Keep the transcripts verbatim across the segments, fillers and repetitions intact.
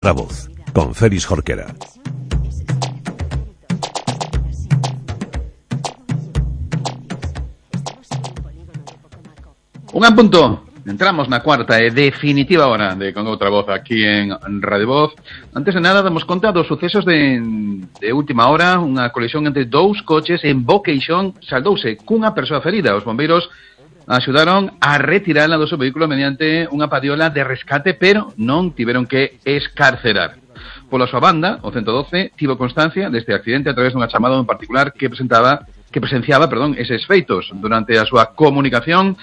La voz, con Félix Jorquera. Un punto. Entramos na cuarta e definitiva hora de Con Outra Voz aquí en Radio Voz. Antes de nada, damos conta dos sucesos de, de última hora. Unha colisión entre dous coches en Boqueixón saldouse cunha persoa ferida. Os bombeiros axudaron a retirala do seu vehículo mediante unha padiola de rescate, pero non tiveron que escarcerar. Pola súa banda, o ciento doce tivo constancia deste accidente a través dunha chamada en particular que presentaba que presenciaba, perdón, eses feitos. Durante a súa comunicación,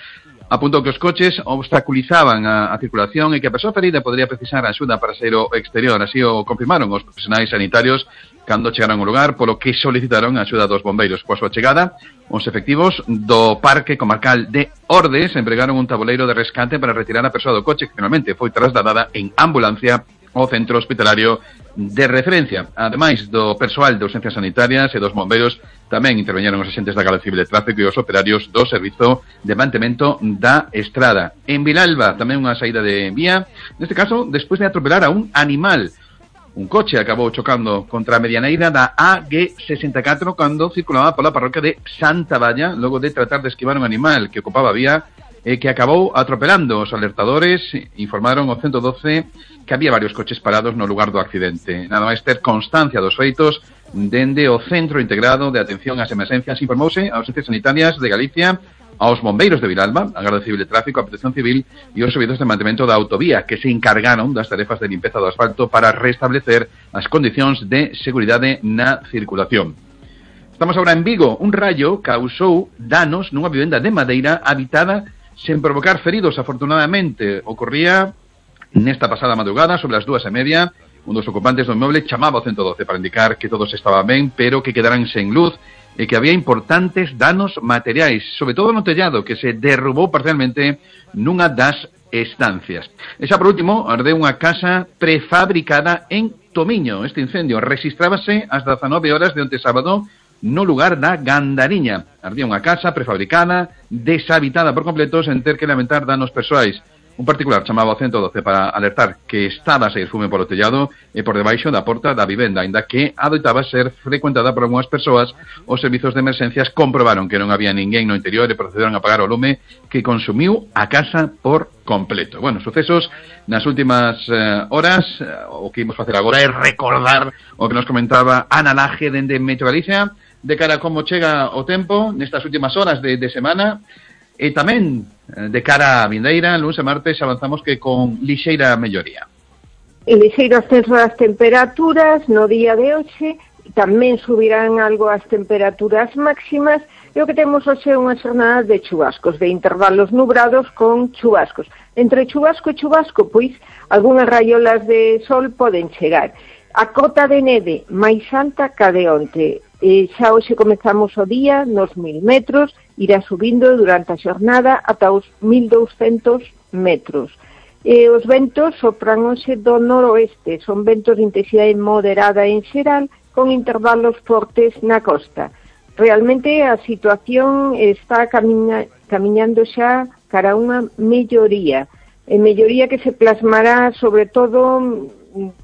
apuntou que os coches obstaculizaban a, a circulación e que a persoa ferida podría precisar axuda para sair ao exterior. Así o confirmaron os profesionais sanitarios cando chegaron ao lugar, polo que solicitaron a axuda dos bombeiros. Coa súa chegada, os efectivos do Parque Comarcal de Ordes empregaron un tabuleiro de rescate para retirar a persoa do coche, que finalmente foi trasladada en ambulancia ao centro hospitalario de referencia. Ademais do persoal de urgencias sanitarias e dos bombeiros, tamén interveñeron os agentes da Garda Civil de Tráfico e os operarios do Servizo de Mantemento da Estrada. En Vilalba, tamén unha saída de vía, neste caso, despois de atropelar a un animal. Un coche acabou chocando contra a medianeira da A G sesenta e catro cando circulaba pola parroquia de Santa Valla, logo de tratar de esquivar un animal que ocupaba a vía e que acabou atropelando. Os alertadores informaron ao ciento doce que había varios coches parados no lugar do accidente. Nada máis ter constancia dos feitos, dende o Centro Integrado de Atención ás Emergencias informouse aos Urgencias Sanitarias de Galicia, aos bombeiros de Vilalba, a Garda Civil de Tráfico, a Protección Civil e os servizos de mantemento da autovía, que se encargaron das tarefas de limpeza do asfalto para restablecer as condicións de seguridade na circulación. Estamos agora en Vigo. Un raio causou danos nunha vivenda de madeira habitada sen provocar feridos. Afortunadamente, ocorría nesta pasada madrugada, sobre as dúas e media. Un dos ocupantes do inmoble chamaba ao ciento doce para indicar que todos estaban ben, pero que quedaran sen luz e que había importantes danos materiais, sobre todo no tellado, que se derrubou parcialmente nunha das estancias. E xa por último, ardeu unha casa prefabricada en Tomiño. Este incendio rexistrábase ás dezanove horas de onte sábado no lugar da Gandariña. Ardía unha casa prefabricada, deshabitada por completo, sen ter que lamentar danos persoais. Un particular chamaba ao ciento doce para alertar que estaba a sair fume polo tellado e por debaixo da porta da vivenda, aínda que adoitaba ser frecuentada por algunhas persoas. Os servizos de emerxencias comprobaron que non había ninguén no interior e procederon a apagar o lume que consumiu a casa por completo. Bueno, sucesos nas últimas eh, horas. O que imos facer agora é recordar o que nos comentaba Ana Laje dende Meteo Galicia de cara a como chega o tempo nestas últimas horas de, de semana. E tamén de cara a vindeira, lunes e martes, avanzamos que con lixeira melloría. E lixeiro ascenso das temperaturas no día de hoxe, tamén subirán algo as temperaturas máximas, e o que temos hoxe é unha xornada de chubascos, de intervalos nubrados con chubascos. Entre chubasco e chubasco, pois, algunhas raiolas de sol poden chegar. A cota de neve máis alta ca de onte. E xa hoxe comezamos o día nos mil metros, irá subindo durante a xornada ata os mil douscentos metros. E os ventos sopran hoxe do noroeste, son ventos de intensidade moderada en xeral, con intervalos fortes na costa. Realmente a situación está camiña, camiñando xa cara a unha melloría, e melloría que se plasmará sobre todo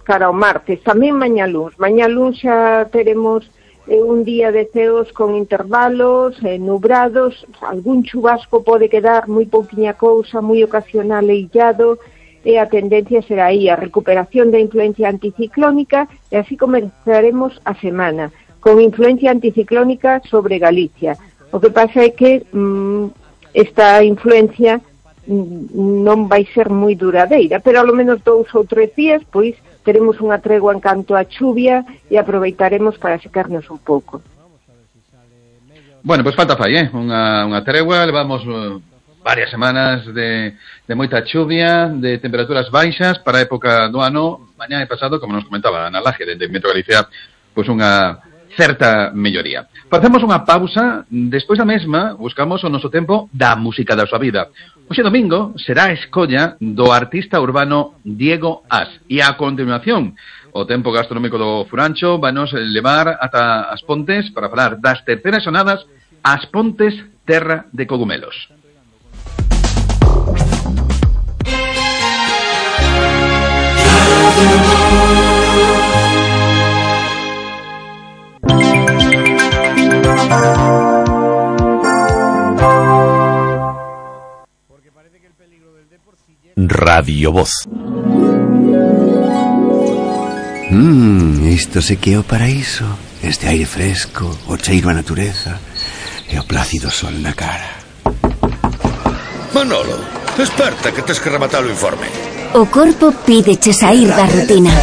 cara ao martes, tamén mañá luns. Mañá luns xa teremos eh, un día de ceos con intervalos eh, nubrados, algún chubasco pode quedar, moi pouquiña cousa, moi ocasional e illado, e a tendencia será aí a recuperación da influencia anticiclónica, e así comenzaremos a semana, con influencia anticiclónica sobre Galicia. O que pasa é que mm, esta influencia non vai ser moi duradeira, pero ao menos dous ou tres días, pois, teremos unha tregua en canto a chuvia e aproveitaremos para secarnos un pouco. Bueno, pois falta fai, eh? Unha, unha tregua, levamos uh, varias semanas de, de moita chuvia, de temperaturas baixas para a época do ano. Mañá e pasado, como nos comentaba Ana Laje, de Meteo Galicia, pois unha certa melloría. Facemos unha pausa, despois da mesma buscamos o noso tempo da música da súa vida. Hoxe domingo será a escolla do artista urbano Diego As, e a continuación o tempo gastronómico do Furancho vanos levar ata As Pontes para falar das terceras xonadas As Pontes Terra de Cogumelos. Radio Radio Voz. Mmm, isto se que é o paraíso. Este aire fresco, o cheiro a natureza e o plácido sol na cara. Manolo, desperta que tes que rematar o informe. O corpo pídeche sair da rutina.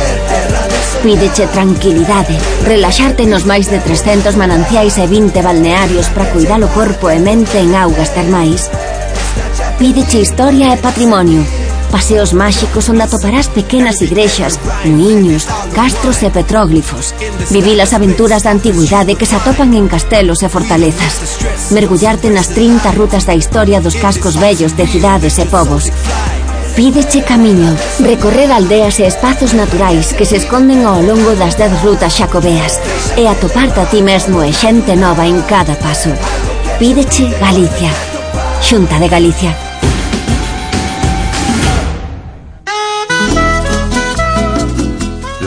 Pídeche tranquilidade, relaxarte nos máis de trescentos mananciais e vinte balnearios para cuidar o corpo e mente en augas termais. Pídeche historia e patrimonio. Paseos máxicos onde atoparás pequenas igrexas, muiños, castros e petróglifos. Vivir as aventuras da antigüidade que se atopan en castelos e fortalezas. Mergullarte nas trinta rutas da historia dos cascos vellos de cidades e povos. Pídeche camiño, recorrer aldeas e espazos naturais que se esconden ao longo das dez rutas xacobeas e atoparte a ti mesmo e xente nova en cada paso. Pídeche Galicia. Xunta de Galicia.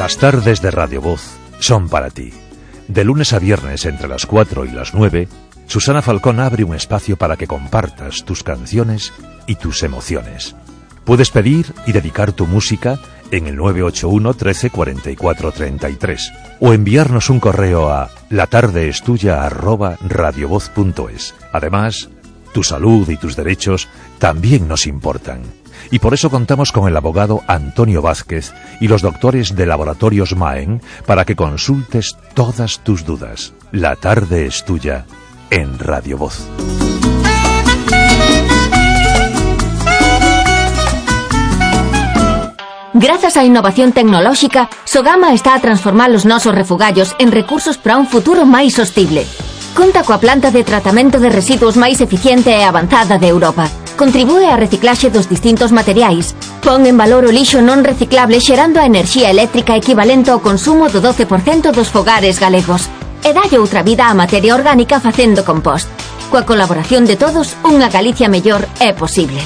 Las tardes de Radio Voz son para ti. De lunes a viernes entre las cuatro y las nueve, Susana Falcón abre un espacio para que compartas tus canciones y tus emociones. Puedes pedir y dedicar tu música en el nueve ocho uno, trece, cuarenta y cuatro, treinta y tres o enviarnos un correo a latardeestuya arroba radiovoz punto es. Además, tu salud y tus derechos también nos importan. Y por eso contamos con el abogado Antonio Vázquez y los doctores de Laboratorios Maen para que consultes todas tus dudas. La tarde es tuya en Radio Voz. Grazas á innovación tecnolóxica, Sogama está a transformar os nosos refugallos en recursos para un futuro máis sostible. Conta coa planta de tratamento de residuos máis eficiente e avanzada de Europa. Contribúe á reciclaxe dos distintos materiais. Pon en valor o lixo non reciclable xerando a enerxía eléctrica equivalente ao consumo do doce por cento dos fogares galegos. E dalle outra vida á materia orgánica facendo compost. Coa colaboración de todos, unha Galicia mellor é posible.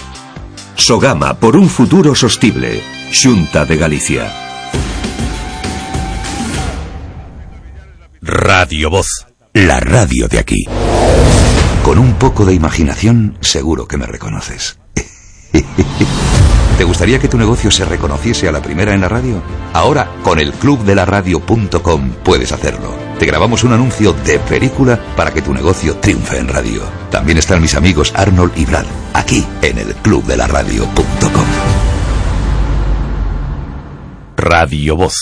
Sogama por un futuro sostible. Xunta de Galicia. Radio Voz. La radio de aquí. Con un poco de imaginación, seguro que me reconoces. ¿Te gustaría que tu negocio se reconociese a la primera en la radio? Ahora, con el club de la radio punto com puedes hacerlo. Te grabamos un anuncio de película para que tu negocio triunfe en radio. También están mis amigos Arnold y Brad, aquí en el club de la radio punto com. Radio Voz.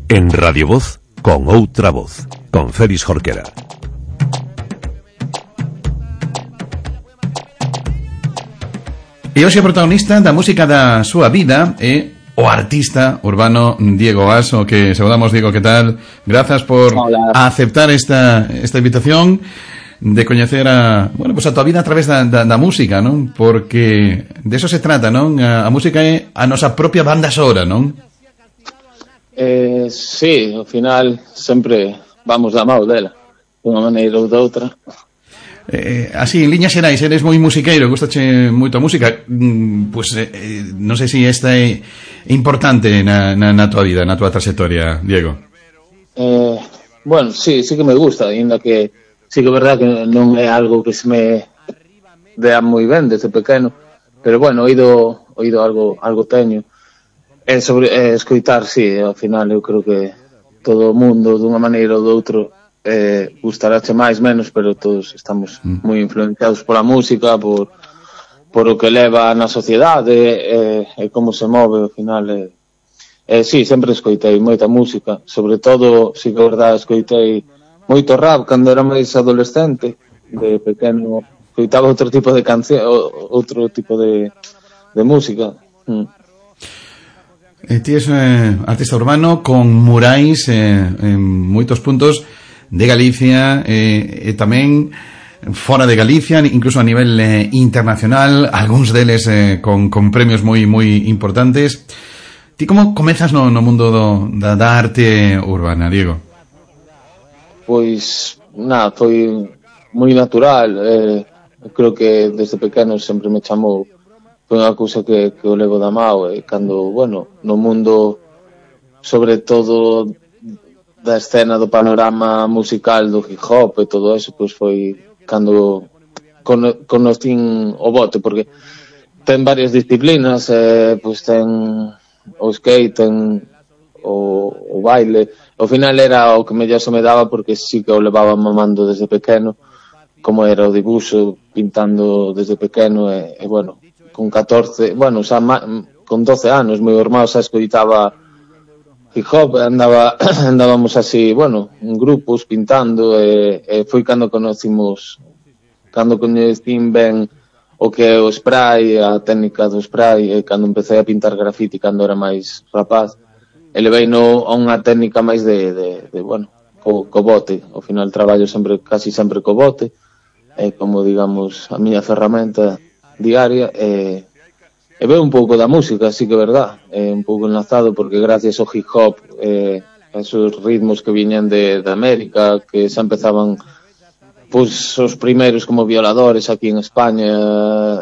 En Radio Voz, con outra voz, con Félix Jorquera. E hoxe o protagonista da música da súa vida é o artista urbano Diego Aso, que saudamos. Diego, que tal? Grazas por Hola. aceptar esta, esta invitación de coñecer a, bueno, pues a tua vida a través da, da, da música, non? Porque de eso se trata, non? A, a música é a nosa propia banda sonora, non? Eh, sí, ao final sempre vamos da mão dela, de unha maneira ou de outra. Eh, así, en liñas xerais, eres moi musiqueiro, gustache moito a música. Mm, pues eh, non sei se esta é importante na, na, na tua vida, na tua trayectoria, Diego. Eh, bueno, sí, sí que me gusta, ainda que sí que é verdad que non é algo que se me dea moi ben desde pequeno, pero bueno, oído, oído algo, algo teño. É sobre é, escoitar, sí, ao final eu creo que todo o mundo dunha maneira ou de outro eh, gustarache máis, menos, pero todos estamos mm. moi influenciados pola música, por, por o que leva na sociedade e, e como se move ao final. E, e sí, sempre escoitei moita música, sobre todo, sí que é verdade, escoitei moito rap cando era máis adolescente, de pequeno, escoitaba outro tipo de canción, outro tipo de, de música. Mm. Eh, ti es eh, artista urbano con murais eh, en moitos puntos de Galicia e eh, eh, tamén fora de Galicia, incluso a nivel eh, internacional, algúns deles eh, con, con premios moi moi importantes. Ti como comezas no, no mundo do, da, da arte urbana, Diego? pois, nada, foi moi natural, eh, creo que desde pequeno sempre me chamou, foi unha cousa que, que o levo da mao, e cando, bueno, no mundo, sobre todo da escena do panorama musical do hip hop e todo eso, pois foi cando con, conocín o bote, porque ten varias disciplinas, eh, pois ten o skate, ten o, o baile, ao final era o que mellor se me daba porque sí que o levaba mamando desde pequeno, como era o dibuixo, pintando desde pequeno, e, e bueno, con catorce, bueno, xa ma, con doce anos, meu irmão xa escoitaba hip hop, andaba, andábamos así, bueno, en grupos, pintando, e, e foi cando conocimos, cando conhecín ben o que é o spray, a técnica do spray, e cando empecé a pintar grafiti cando era máis rapaz, elevei no a unha técnica máis de, de, de bueno, co, co bote. Ao final traballo sempre, casi sempre co bote, é como, digamos, a miña ferramenta diaria, e, e veo un pouco da música, así que é verdad, é un pouco enlazado, porque gracias ao hip hop, eh, esos ritmos que viñan de, de América, que xa empezaban, pois, os primeiros como Violadores aquí en España,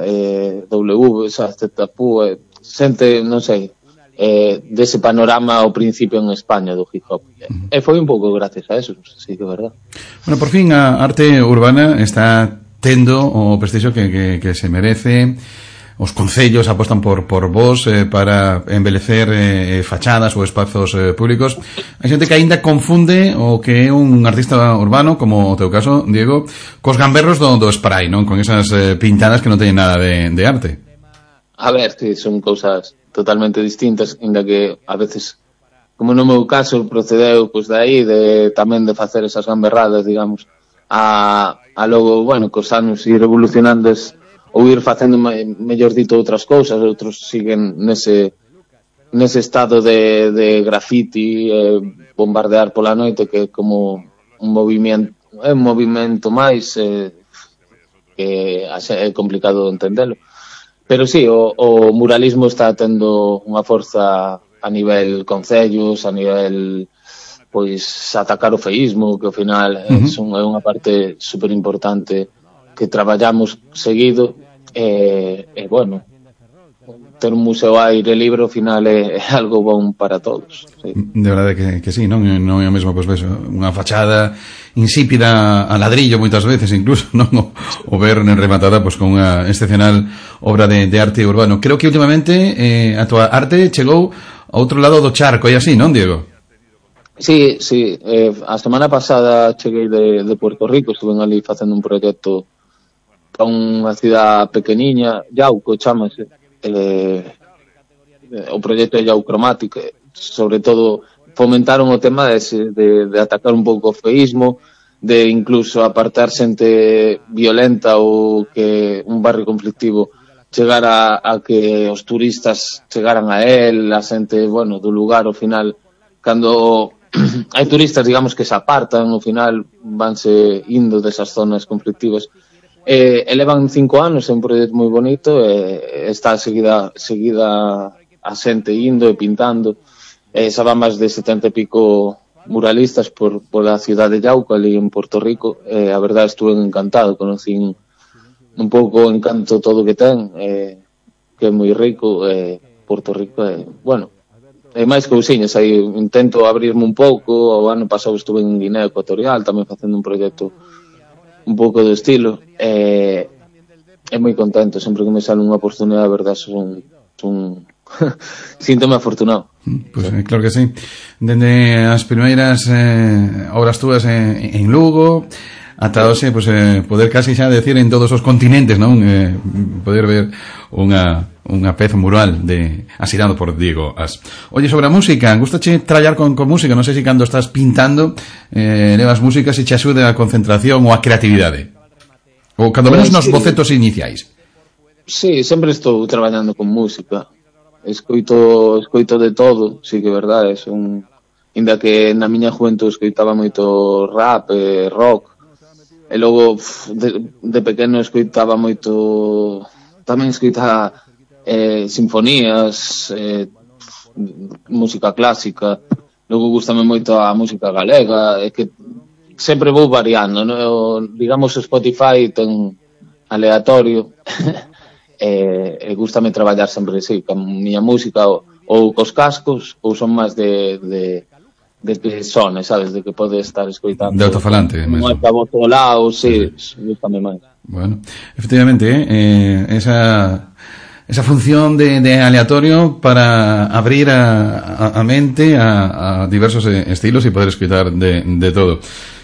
eh, W, xa, Zetapu, eh, xente, non sei, eh, dese panorama ao principio en España do hip hop. Uh-huh. E foi un pouco gracias a eso, sí que é verdad. Bueno, por fin a arte urbana está tendo o prestixio que, que, que se merece. Os concellos apostan por por vos eh, para embelecer eh, fachadas ou espazos eh, públicos. Hai xente que aínda confunde o que é un artista urbano, como o teu caso, Diego, cos gamberros do, do spray, non? Con esas eh, pintadas que non teñen nada de, de arte. A ver, sí, son cousas totalmente distintas, ainda que a veces, como no meu caso, procedeu pois de aí, de, tamén de facer esas gamberradas, digamos, a, a logo, bueno, cos anos ir evolucionando es, ou ir facendo mellor dito outras cousas, outros siguen nese nese estado de, de graffiti, eh, bombardear pola noite, que é como un movimento, é un movimento máis eh, que é complicado entendelo. Pero sí, o, o muralismo está tendo unha forza a nivel concellos, a nivel, pois, atacar o feísmo, que ao final uh-huh. é unha parte super importante que traballamos seguido, e, e bueno, ter un museo a aire libre ao final é, é algo bon para todos, sí. De verdade que, que sí, non, non é o mesmo, pois, pues, unha fachada insípida a ladrillo moitas veces incluso, non o, o ver rematada pois, pues, con unha excepcional obra de, de arte urbano. Creo que últimamente eh, a tua arte chegou a outro lado do charco, e así, non, Diego? Sí, sí, eh, a semana pasada cheguei de, de Puerto Rico, estuve ali facendo un proxecto para unha cidade pequeniña, Yauco, chámase, eh, o proxecto de Yaucromatic, sobre todo fomentaron o tema de, de, de atacar un pouco o feísmo, de incluso apartar xente violenta ou que un barrio conflictivo chegara a que os turistas chegaran a él, a xente, bueno, do lugar, ao final, cando hai turistas, digamos, que se apartan, ao final vanse indo desas zonas conflictivas. Eh, elevan cinco anos, é un proxecto moi bonito, e eh, está seguida seguida a xente indo e pintando. Eh, xa van máis de setenta e pico muralistas por, por a cidade de Yauco, ali en Puerto Rico. Eh, a verdade, estuve encantado, conocín un pouco o encanto todo que ten, eh, que é moi rico, eh, Puerto Rico, eh, bueno, e máis cousiñas, aí intento abrirme un pouco. O ano pasado estuve en Guinea Ecuatorial, tamén facendo un proxecto un pouco do estilo, e é moi contento, sempre que me sale unha oportunidade, a verdade, son, son síntome afortunado. Pois pues, claro que sí. Dende as primeiras eh, obras túas en, en Lugo ata hoxe, pues, eh, poder casi xa decir en todos os continentes, non? Eh, poder ver unha unha peza mural de asinado por Diego As. Oye, sobre a música, gustache traballar con, con música? Non sei se cando estás pintando eh, levas música, se che axuda a concentración ou a creatividade, ou cando menos nos bocetos iniciais. Sí, sempre estou traballando con música, escoito escoito de todo, sí que é verdade, son, inda que na miña juventud escoitaba moito rap, eh, rock, e logo de, de pequeno escoitaba moito, tamén escoitaba eh, sinfonías, eh, música clásica, logo gustame moito a música galega, é que sempre vou variando, no, digamos, o Spotify ten aleatorio e, e gustame traballar sempre así, con miña música ou, ou cos cascos, ou son máis de, de, de que sone, sabes, de que pode estar escoitando de autofalante mesmo. Non é cabo todo lado, sí, sí. Gustame máis. Bueno, efectivamente, eh, esa esa función de, de aleatorio para abrir a, a, a mente a, a diversos estilos e poder escoitar de, de todo.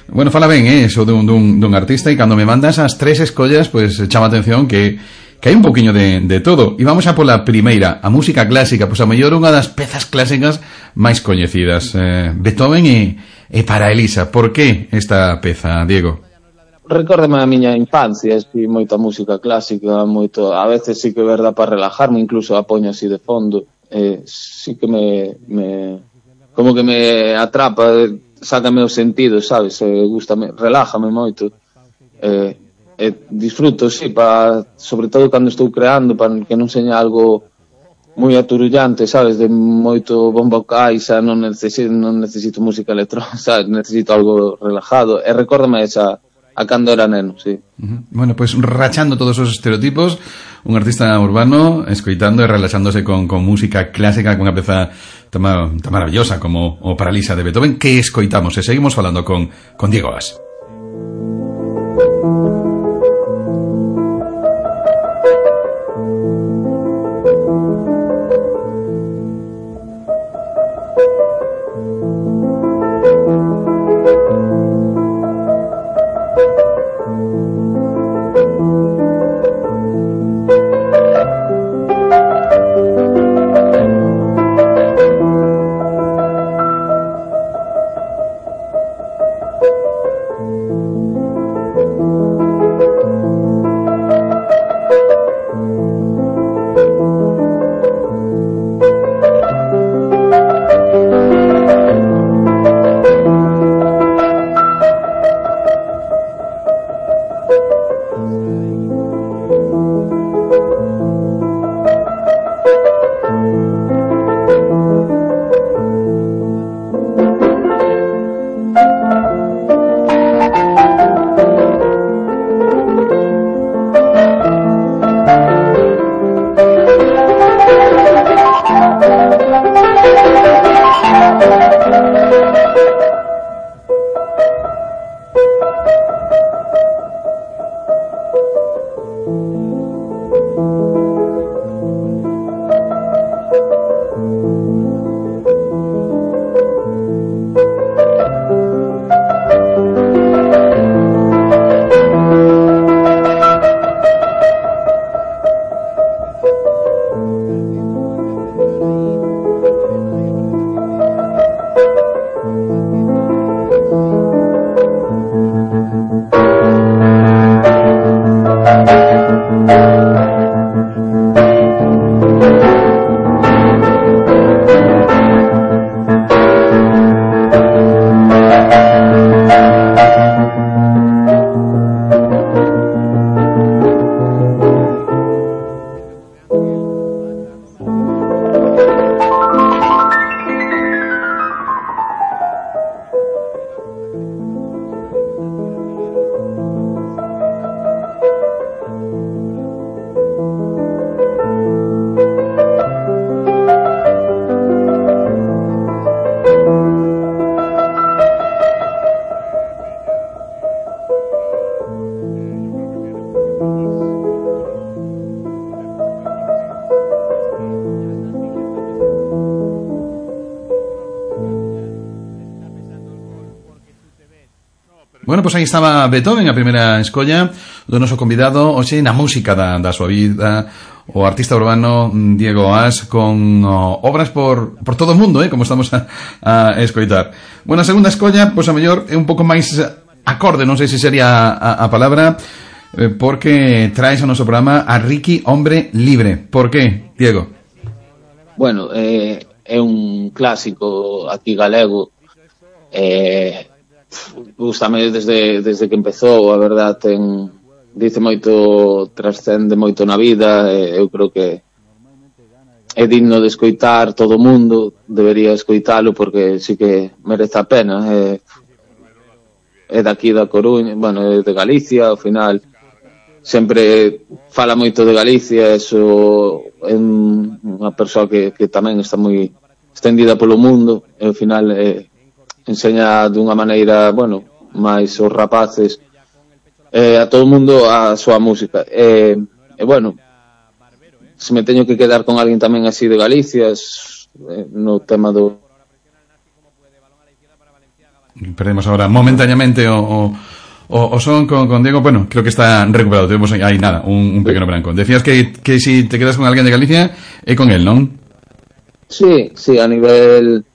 Bueno, fala ben, eh, eso dun, dun, dun artista, e cando me mandas as tres escollas, pues chama atención que que hai un poquinho de, de todo. E vamos a pola primeira, a música clásica, pois a mellor unha das pezas clásicas máis coñecidas, eh, Beethoven e, e para Elisa. Por que esta peza, Diego? Recórdame a miña infancia, espi moita música clásica, moito, a veces sí que é verdad para relajarme, incluso a poño así de fondo, eh, sí que me, me como que me atrapa, sácame os sentidos, sabes, eh, gustame, relájame moito, eh, eh, disfruto, sí, para, sobre todo cando estou creando, para que non seña algo moi aturullante, sabes, de moito bombo caixa, non necesito, non necesito música electrónica, sabes, necesito algo relajado, e recórdame esa a cando era neno, sí. Uh-huh. Bueno, pues rachando todos os estereotipos, un artista urbano escoitando e relaxándose con, con música clásica, con unha peza tan, tan maravillosa como o Paralisa de Beethoven, que escoitamos e seguimos falando con, con Diego As. Bueno, pois pues aí estaba Beethoven, a primeira escolla do noso convidado hoxe na música da, da súa vida, o artista urbano Diego As, con oh, obras por, por todo o mundo, eh, como estamos a, a escoitar. Bueno, a segunda escolla, pois pues, a mellor é un pouco máis acorde, non sei se sería a, a palabra, eh, porque traes ao noso programa a Ricky Hombre Libre. Por qué, Diego? Bueno, eh, é un clásico aquí galego, eh, gústame desde, desde que empezou, a verdad, ten, dice moito, trascende moito na vida, e eu creo que é digno de escoitar todo o mundo, debería escoitalo porque sí que merece a pena. É, é daqui da Coruña, bueno, é de Galicia, ao final sempre fala moito de Galicia, eso é unha persoa que, que tamén está moi extendida polo mundo, e ao final eh, enseña dunha maneira, bueno, máis os rapaces eh, a todo o mundo a súa música, e, e bueno, se me teño que quedar con alguén tamén así de Galicia, eh, no tema do... Perdemos ahora momentáneamente o, o, o, o son con, con Diego. Bueno, creo que está recuperado. Tenemos ahí nada, un, un pequeno branco. Decías que, que si te quedas con alguén de Galicia é con él, non? Sí, sí, a nivel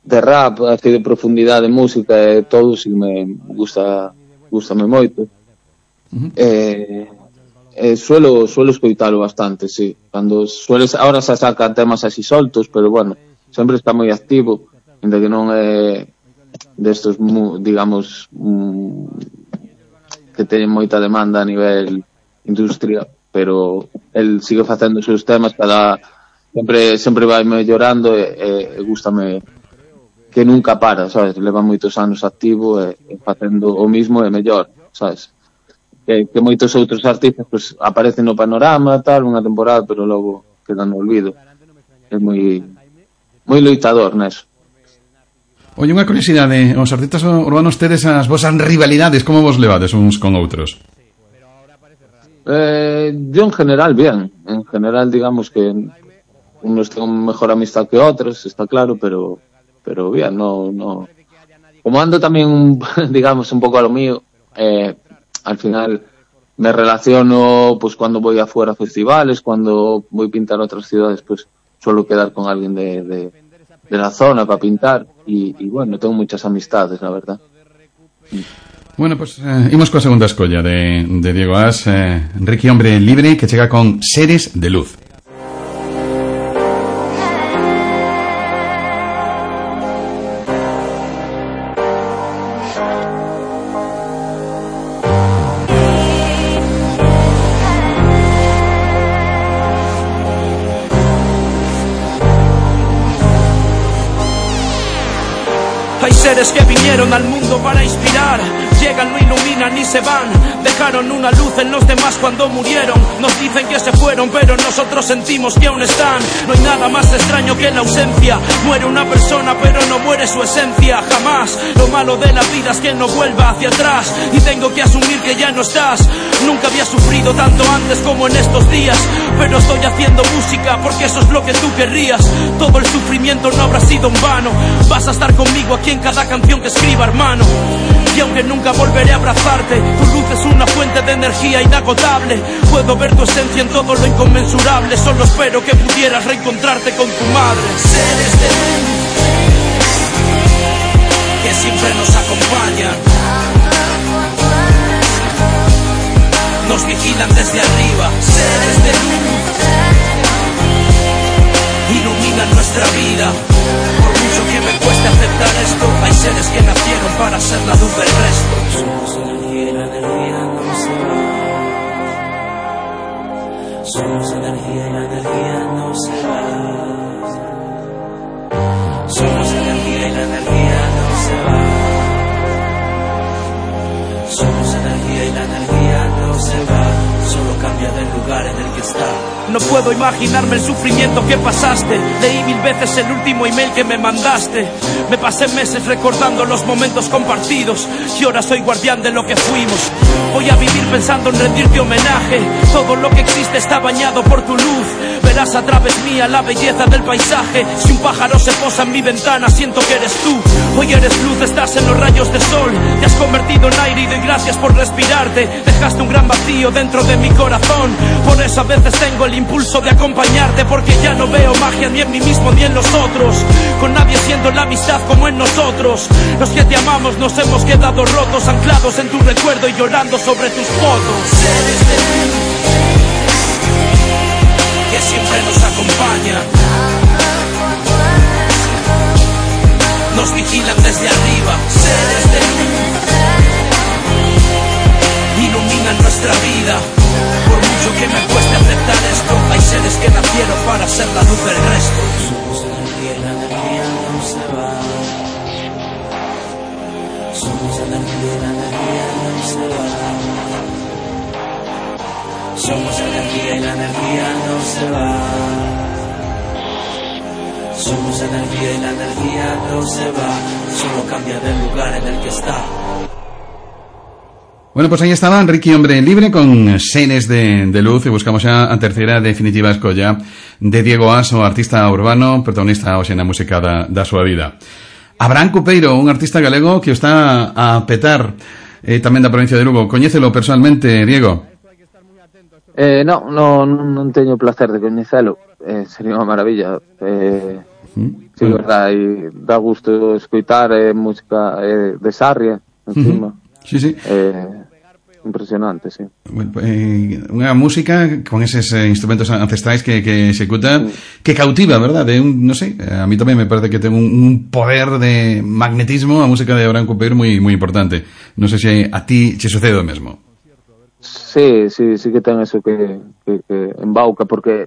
de rap, así de profundidade, de música e todo, si me gusta, gustame moito. Uh-huh. Eh, eh, suelo suelo escoitalo bastante, sí. Cando sueles, ahora se sacan temas así soltos, pero bueno, sempre está moi activo, ainda que non é destos, digamos, que teñen moita demanda a nivel industria, pero el sigue facendo os seus temas, cada sempre sempre vai mellorando e, e gústame que nunca para, sabes, leva moitos anos activo e, e facendo o mismo e mellor, sabes, que, que moitos outros artistas pues, aparecen no panorama tal, unha temporada, pero logo quedan no olvido. É moi moi loitador neso. Oye, unha curiosidade, os artistas urbanos tedes as vosas rivalidades, como vos levades uns con outros? Eh, yo en general bien, en general digamos que unos tengo mejor amistad que otros, está claro, pero pero bien, no no como ando también digamos un poco a lo mío, eh, al final me relaciono pues cuando voy afuera a festivales, cuando voy a pintar a otras ciudades, pues suelo quedar con alguien de, de de la zona para pintar y, y bueno, tengo muchas amistades, la verdad. Bueno, pues eh, imos coa segunda escolla de, de Diego As, eh, Ricky Hombre Libre, que chega con Seres de Luz. Seres que vinieron al mundo para inspirar, llegan, lo iluminan y se van, dejaron una luz en los demás cuando murieron. Nos dicen que se fueron, pero nosotros sentimos que aún están. No hay nada más extraño que la ausencia. Muere una persona, pero no muere su esencia, jamás. Lo malo de la vida es que no vuelva hacia atrás, y tengo que asumir que ya no estás. Nunca había sufrido tanto antes como en estos días, pero estoy haciendo música porque eso es lo que tú querrías. Todo el sufrimiento no habrá sido en vano. Vas a estar conmigo aquí en cada canción que escriba, hermano. Y aunque nunca volveré a abrazarte, tu luz es una fuente de energía inagotable. Puedo ver tu esencia en todo lo inconmensurable. Solo espero que pudieras reencontrarte con tu madre. Seres de luz que siempre nos acompañan, nos vigilan desde arriba. Seres de luz iluminan nuestra vida. Por mucho que me cueste aceptar esto, hay seres que nacieron para ser la luz del resto. Somos energía y la energía no se va. Somos energía y la energía no se va. Somos energía y la energía no se va. Somos energía y la energía no se va. Solo cambia del lugar en el que está. No puedo imaginarme el sufrimiento que pasaste. Leí mil veces el último email que me mandaste. Me pasé meses recordando los momentos compartidos, y ahora soy guardián de lo que fuimos. Voy a vivir pensando en rendirte homenaje. Todo lo que existe está bañado por tu luz. Verás a través mía la belleza del paisaje. Si un pájaro se posa en mi ventana, siento que eres tú. Hoy eres luz, estás en los rayos de sol. Te has convertido en aire y doy gracias por respirarte. Dejaste un gran vacío dentro de mi corazón. Por eso a veces tengo el impulso de acompañarte, porque ya no veo magia ni en mí mismo ni en los otros. Con nadie siendo la amistad como en nosotros. Los que te amamos nos hemos quedado rotos, anclados en tu recuerdo y llorando sobre tus fotos. Seres de luz que siempre nos acompañan, nos vigilan desde arriba. Seres de luz iluminan nuestra vida. Por mucho que me cueste aceptar esto, hay seres que nacieron para ser la luz del resto. Somos energía y la energía no se va. Somos energía energía y la energía no se va. Somos energía y la energía no se va. Somos energía y la energía no se va. Solo cambia del lugar en el que está. Bueno, pues aí estaba Ricky Hombre Libre con Seres de, de Luz, e buscamos xa a terceira definitiva escolla de Diego As, o artista urbano protagonista hoxe na música da, da súa vida. Abraham Cupeiro, un artista galego que o está a petar eh, tamén da provincia de Lugo. Coñécelo personalmente, Diego? Eh, no, no, non teño o placer de coñecelo. Eh, sería unha maravilla. Eh, ¿Mm? Sí, verdad, e dá gusto escoitar eh, música eh, de Sarria, encima. Uh-huh. Sí, sí. Eh, impresionante, sí. Bueno, eh, unha música con eses eh, instrumentos ancestrais que, que executa, sí. Que cautiva, verdad? De un, no sé, a mí tamén me parece que ten un, un poder de magnetismo a música de Abraham Cupeiro moi moi importante. Non sei se a ti che sucede o mesmo. Sí, sí, sí que ten eso que, que, que embauca, porque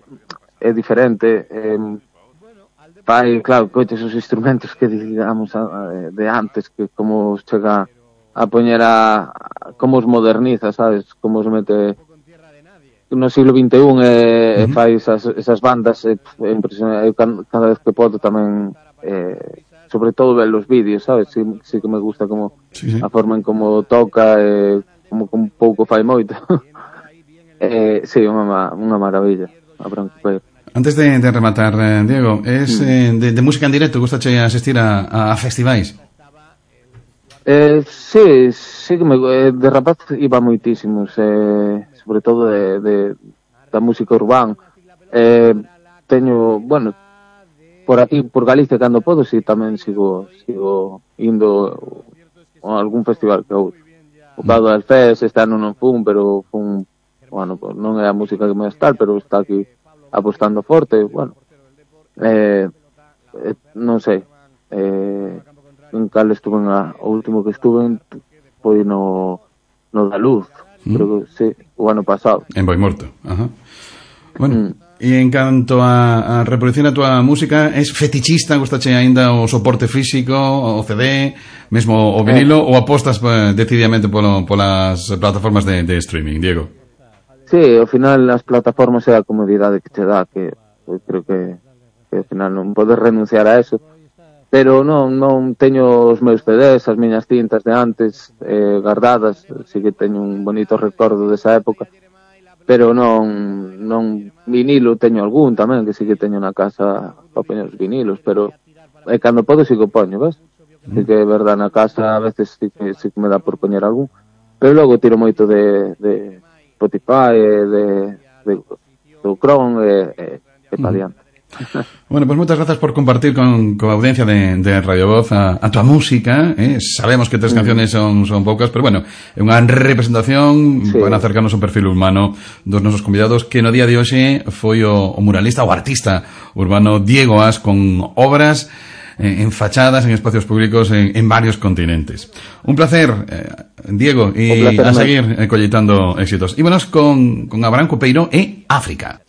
é diferente. Eh, fai, claro, coites os instrumentos que digamos de antes, que como chega a poñer a, como os moderniza, sabes, como os mete no siglo vinte e un e, uh-huh. fai esas, esas bandas é, é impresionante. Eu cada vez que podo tamén eh, sobre todo ver os vídeos, sabes, si, si que me gusta como sí, sí. a forma en como toca e como un pouco fai moito. eh, sí, unha, unha maravilla a Branco Peiro. Antes de, de rematar, eh, Diego, es mm. eh, de, de música en directo, gustache asistir a, a festivais? Eh, sí, sí que me, eh, de rapaz iba moitísimos, eh, sobre todo de, de da música urbana. Eh, teño, bueno, por aquí, por Galicia, cando podo, si sí, tamén sigo sigo indo a algún festival que outro. O Cado del Fest, este ano non fun, pero fun, bueno, non é a música que me estar, pero está aquí apostando forte, bueno. Eh, eh, non sei, eh, en cal estuve na, o último que estuve foi no no da Luz, mm. creo que sí, o ano pasado. En Boimorto, ajá. Bueno, e mm. en canto a, a reproducción da tua música, es fetichista, gustache aínda o soporte físico, o C D, mesmo o vinilo, eh. ou apostas pues, decididamente polo, polas plataformas de, de streaming, Diego? Sí, ao final as plataformas é a comodidade que te dá, que eu creo que, que ao final non podes renunciar a eso. Pero non, non teño os meus C Ds, as miñas cintas de antes eh, guardadas, si que teño un bonito recordo desa época, pero non non vinilo teño algún tamén, que si que teño na casa para poñer os vinilos, pero eh, cando podo si que poño, ves? Si que é verdad, na casa a veces si que, si que me dá por poñer algún, pero logo tiro moito de, de Spotify, de, de, de Chrome e, e, e pa diante. Bueno, pues muchas gracias por compartir con, con la audiencia de, de Radio Voz a, a tu música, ¿eh? Sabemos que tres mm. canciones son, son pocas, pero bueno, é unha representación, sí. Van a acercarnos un perfil humano dos nosos convidados, que no día de hoxe foi o, o muralista, o artista urbano Diego As, con obras eh, en fachadas, en espacios públicos en, en varios continentes. Un placer, eh, Diego, y placer, a seguir eh, colleitando éxitos. Ímonos con, con Abraham Cupeiro e África.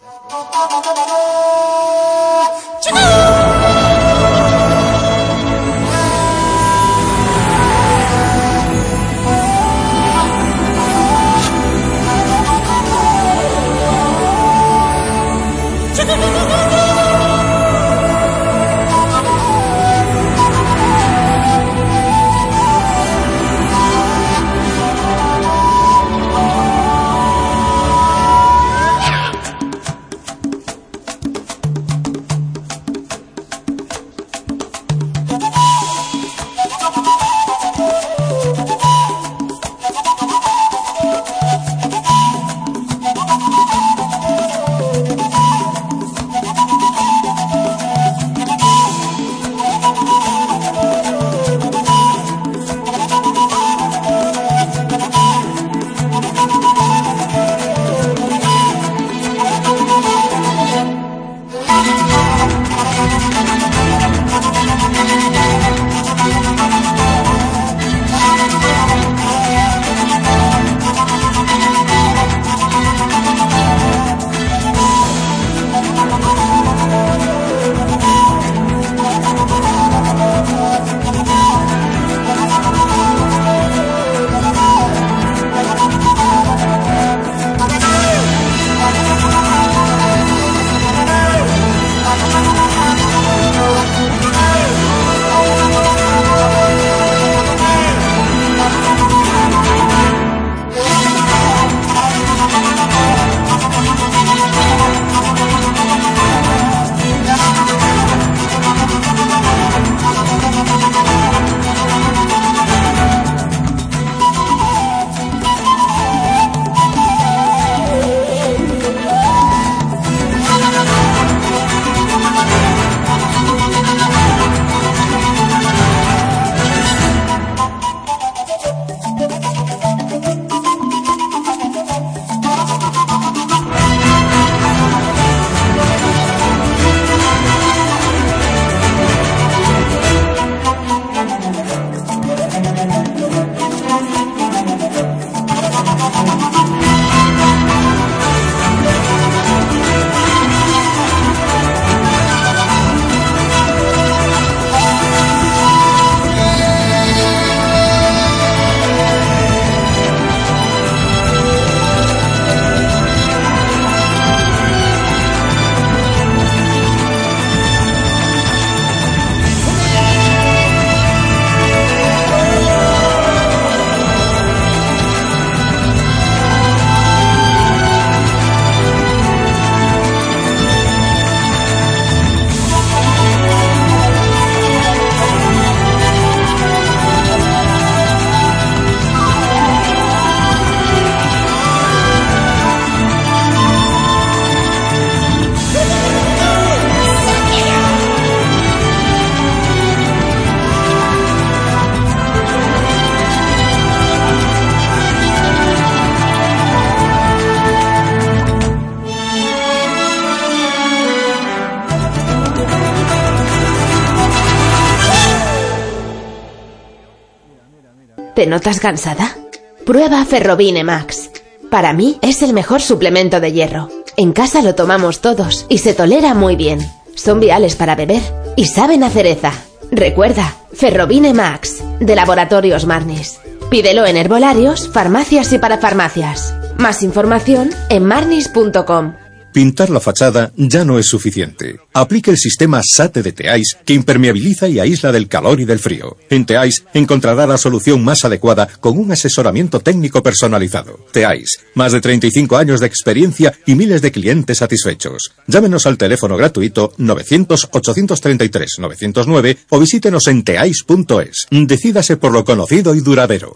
¿Te notas cansada? Prueba Ferrobine Max. Para mí es el mejor suplemento de hierro. En casa lo tomamos todos y se tolera muy bien. Son viales para beber y saben a cereza. Recuerda, Ferrobine Max, de Laboratorios Marnis. Pídelo en herbolarios, farmacias y parafarmacias. Más información en marnis punto com. Pintar la fachada ya no es suficiente. Aplique el sistema SATE de Teais, que impermeabiliza y aísla del calor y del frío. En Teais encontrará la solución más adecuada con un asesoramiento técnico personalizado. Teais, más de treinta y cinco años de experiencia y miles de clientes satisfechos. Llámenos al teléfono gratuito novecientos, ochocientos treinta y tres, novecientos nueve o visítenos en teais punto es. Decídase por lo conocido y duradero.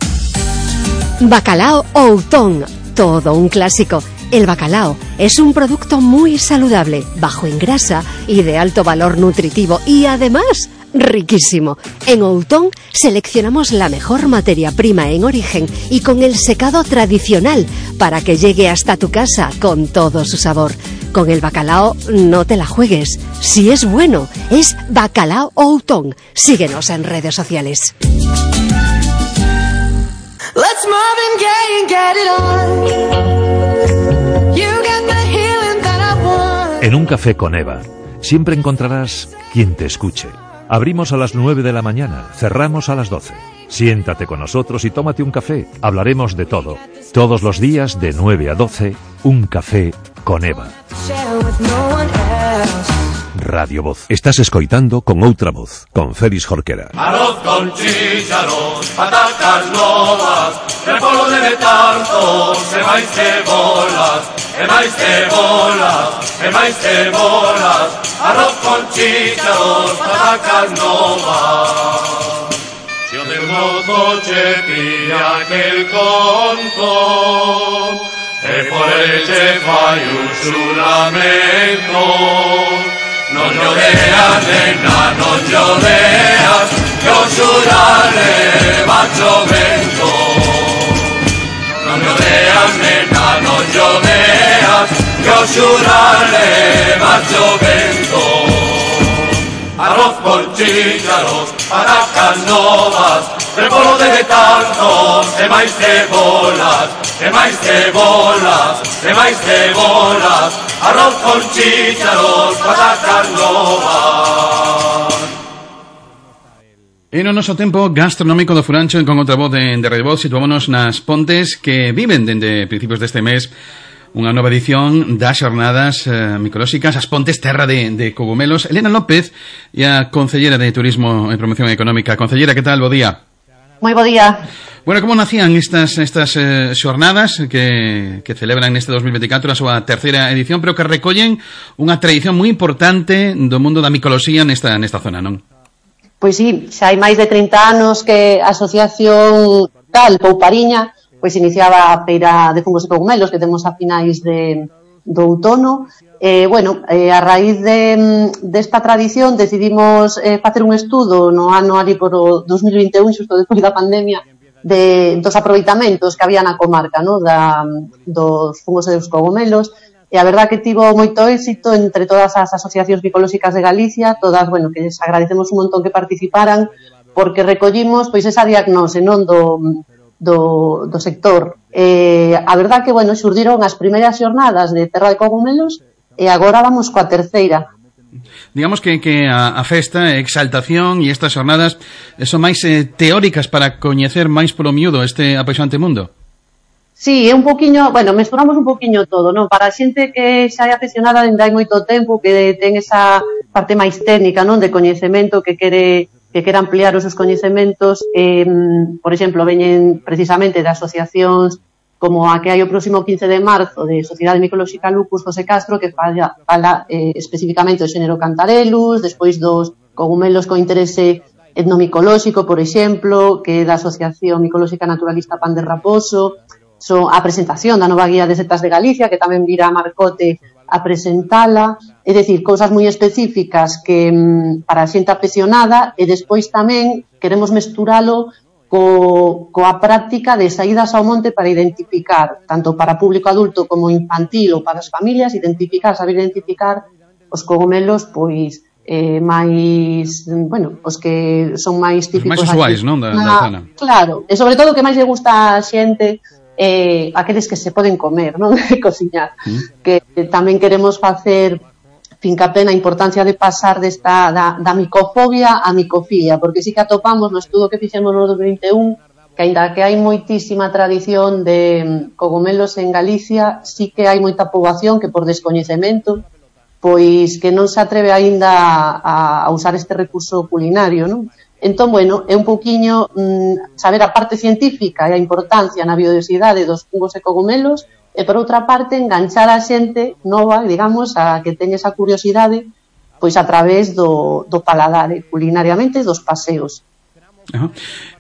Bacalao Outón, todo un clásico. El bacalao es un producto muy saludable, bajo en grasa y de alto valor nutritivo y además riquísimo. En Outón seleccionamos la mejor materia prima en origen y con el secado tradicional para que llegue hasta tu casa con todo su sabor. Con el bacalao no te la juegues. Si es bueno, es Bacalao Outón. Síguenos en redes sociales. Let's Marvin Gaye and get it on. En un café con Eva, siempre encontrarás quien te escuche. Abrimos a las nueve de la mañana, cerramos a las doce. Siéntate con nosotros y tómate un café. Hablaremos de todo. Todos los días de nueve a doce, un café con Eva. Radio Voz. Estás escoitando con outra voz, con Félix Jorquera. Arroz con chícharos, patacas novas, repolo de tanto, e máis cebolas, e máis cebolas, e máis cebolas, arroz con chícharos, patacas novas. Si o teu mozo che pilla aquel conto, e por el che fai un xuramento, non lloreas, nena, non lloreas, que o xurare va chovendo. Non lloreas, nena, non lloreas, que o xurare va chovendo. Arroz con chícharos, patacas novas, repolo de tanto, e máis cebolas, e máis cebolas, e máis cebolas, arroz con chícharos, patacas novas. En o noso tempo gastronómico do Furancho con outra voz de, de Radio Voz, situámonos nas Pontes que viven dende principios deste mes unha nova edición das xornadas eh, micolóxicas As Pontes, terra de, de cogumelos. Elena López e a Concellera de Turismo e Promoción Económica. Concellera, que tal? Bo día. Moi bo día. Bueno, como nacían estas estas eh, xornadas que, que celebran neste dos mil veinticuatro a súa terceira edición, pero que recollen unha tradición moi importante do mundo da micoloxía nesta, nesta zona, non? Pois sí, xa hai máis de trinta anos que a asociación tal, Poupariña, pois iniciaba a feira de fungos e cogumelos que temos a finais de, do outono. Eh, bueno, eh, a raíz de desta tradición decidimos eh, facer un estudo no ano ali por o dos mil vinte e un, xusto despois da pandemia, de, dos aproveitamentos que había na comarca, no? da, dos fungos e dos cogumelos, e a verdad que tivo moito éxito entre todas as asociacións micolóxicas de Galicia, todas, bueno, que les agradecemos un montón que participaran, porque recollimos pois esa diagnose, non, do Do, do sector. Eh, a verdad que, bueno, xurdiron as primeiras xornadas de Terra de Cogumelos e agora vamos coa terceira. Digamos que, que a, a festa, a exaltación e estas xornadas son máis eh, teóricas para coñecer máis polo miúdo este apaixonante mundo. Sí, é un poquinho, bueno, mesturamos un poquinho todo, non? Para a xente que xa é aficionada dende hai moito tempo, que ten esa parte máis técnica, non? De coñecemento, que quere que quere ampliar os seus coñecementos, eh, por exemplo, veñen precisamente de asociacións como a que hai o próximo quince de marzo de Sociedade Micolóxica Lupus José Castro, que fala, fala eh, especificamente do xénero Cantarellus, despois dos cogumelos con interese etnomicolóxico, por exemplo, que é da Asociación Micolóxica Naturalista Pan de Raposo, so, a presentación da nova guía de setas de Galicia, que tamén vira a Marcote a presentala, é dicir, cousas moi específicas que para a xente aficionada, e despois tamén queremos mesturalo co, coa práctica de saídas ao monte para identificar, tanto para público adulto como infantil ou para as familias, identificar, saber identificar os cogumelos pois eh, máis, bueno, os que son máis típicos máis usuais, non, da, da zona. Claro, e sobre todo o que máis lle gusta a xente eh, aqueles que se poden comer, non, de cociñar, mm. que eh, tamén queremos facer fincapé na importancia de pasar desta da, da micofobia a micofía, porque sí que atopamos no estudo que fixemos no dos mil vinte e un que aínda que hai moitísima tradición de cogomelos en Galicia, sí que hai moita poboación que por descoñecemento pois que non se atreve aínda a, a usar este recurso culinario, non? Entón, bueno, é un pouquiño mm, saber a parte científica e a importancia na biodiversidade dos fungos e cogomelos e, por outra parte, enganchar a xente nova, digamos, a que teña esa curiosidade pois a través do, do paladar, culinariamente, dos paseos. Ajá.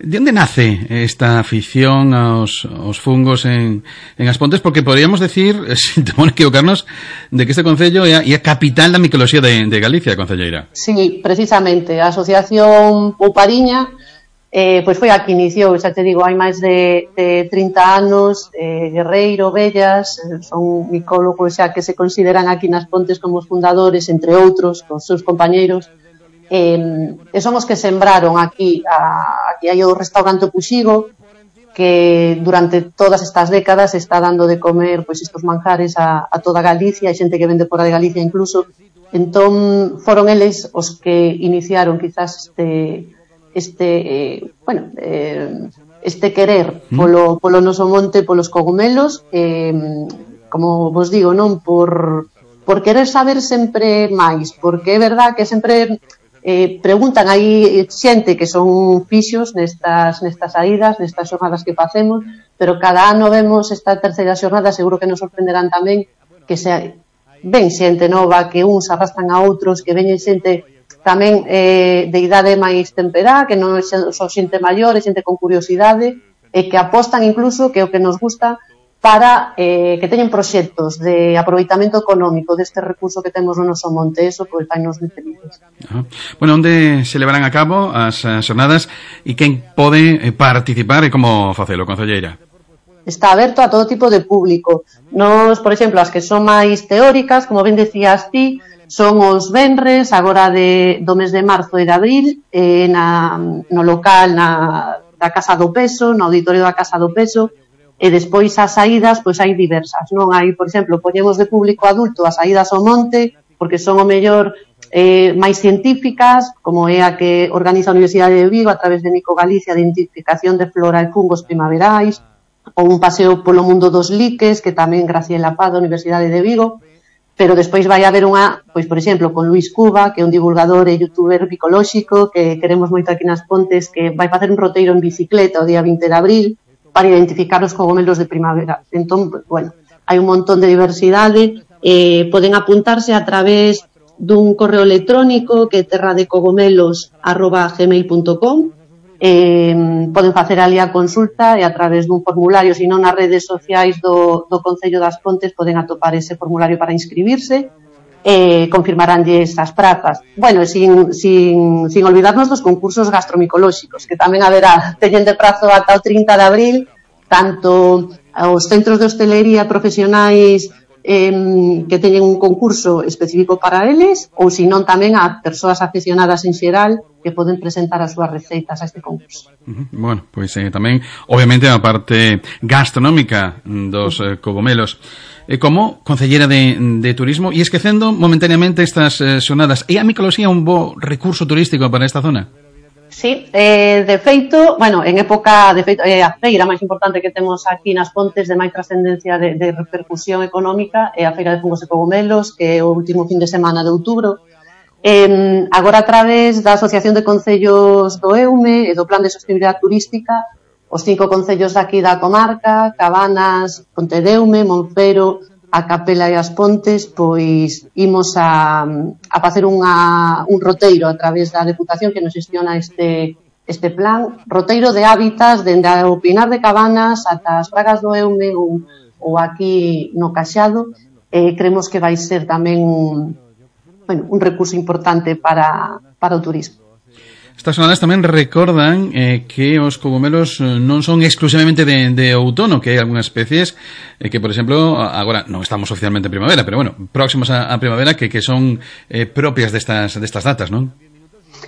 De onde nace esta afición aos, aos fungos en, en As Pontes? Porque podríamos decir, sin temor a equivocarnos, de que este concello é a, é a capital da micoloxía de, de Galicia, concelleira. Sí, precisamente. A Asociación Poupariña eh, pois foi a que iniciou, xa te digo, hai máis de, de trinta anos, eh, Guerreiro, Bellas, eh, son micólogos xa que se consideran aquí nas Pontes como os fundadores, entre outros, con seus compañeiros. Eh, e son os que sembraron aquí a, aquí hai o restaurante Puxigo que durante todas estas décadas está dando de comer pois estos manjares a, a toda Galicia, hai xente que vende fora de Galicia incluso, entón foron eles os que iniciaron quizás este este eh, bueno eh, este querer polo, polo noso monte, polos cogumelos, eh, como vos digo, non por, por querer saber sempre máis, porque é verdad que sempre Eh, preguntan, hai xente que son fixos nestas, nestas saídas, nestas xornadas que facemos, pero cada ano vemos esta terceira xornada, seguro que nos sorprenderán tamén que se ven xente nova, que uns arrastran a outros, que veñen xente tamén eh, de idade máis temperá, que non é só xente maior, é xente con curiosidade, e que apostan incluso, que é o que nos gusta, para eh, que teñen proxectos de aproveitamento económico deste recurso que temos no noso monte, eso pois vai nos felices. Ajá. Bueno, onde se levarán a cabo as xornadas e quen pode participar e como facelo, concelleira? Está aberto a todo tipo de público. Nos, por exemplo, as que son máis teóricas, como ben decías ti, son os venres, agora de, do mes de marzo e de abril, eh, na, no local na, da Casa do Peso, no auditorio da Casa do Peso, e despois as saídas, pois hai diversas, non? Hai, por exemplo, poñemos de público adulto as saídas ao monte, porque son o mellor eh, máis científicas, como é a que organiza a Universidade de Vigo a través de Nico Galicia, de identificación de flora e fungos primaverais, ou un paseo polo mundo dos liques, que tamén Graciela Paz da Universidade de Vigo, pero despois vai haber unha, pois, por exemplo, con Luis Cuba, que é un divulgador e youtuber bicolóxico, que queremos moito aquí nas Pontes, que vai facer un roteiro en bicicleta o día vinte de abril, para identificar os cogomelos de primavera. Entón, bueno, hai un montón de diversidade, eh, poden apuntarse a través dun correo electrónico que é terradecogomelos arroba gmail punto com, eh, poden facer ali a consulta e a través dun formulario, se non nas redes sociais do, do Concello das Pontes poden atopar ese formulario para inscribirse, eh, confirmaránlles as prazas. Bueno, sin, sin, sin olvidarnos dos concursos gastromicolóxicos, que tamén haberá, teñen de prazo ata o trinta de abril, tanto os centros de hostelería profesionais eh, que teñen un concurso específico para eles, ou se non tamén a persoas aficionadas en xeral que poden presentar as súas receitas a este concurso. Uh-huh. Bueno, pois pues, eh, tamén, obviamente, a parte gastronómica dos eh, cogomelos. E como concellera de, de turismo, e esquecendo momentaneamente estas eh, xornadas, é a micoloxía un bo recurso turístico para esta zona? Sí, eh, de feito, bueno, en época, de feito, eh, a feira máis importante que temos aquí nas Pontes de máis trascendencia de, de repercusión económica é a Feira de Fungos e Cogomelos, que é o último fin de semana de outubro. Eh, agora a través da Asociación de Concellos do EUME e do Plan de Sostenibilidade Turística, os cinco concellos daqui da comarca, Cabanas, Pontedeume, Monfero, a Capela e As Pontes, pois imos a, a facer unha, un roteiro a través da Deputación que nos xestiona este, este plan, roteiro de hábitats dende o Pinar de Cabanas ata as Pragas do Eume ou, ou aquí no Caxado, eh, creemos que vai ser tamén un, bueno, un recurso importante para, para o turismo. Estas jornadas tamén recordan eh, que os cogumelos non son exclusivamente de, de outono, que hai algunhas especies eh, que, por exemplo, agora non estamos oficialmente en primavera, pero bueno, próximos a, a primavera que, que son eh, propias destas, destas datas, non?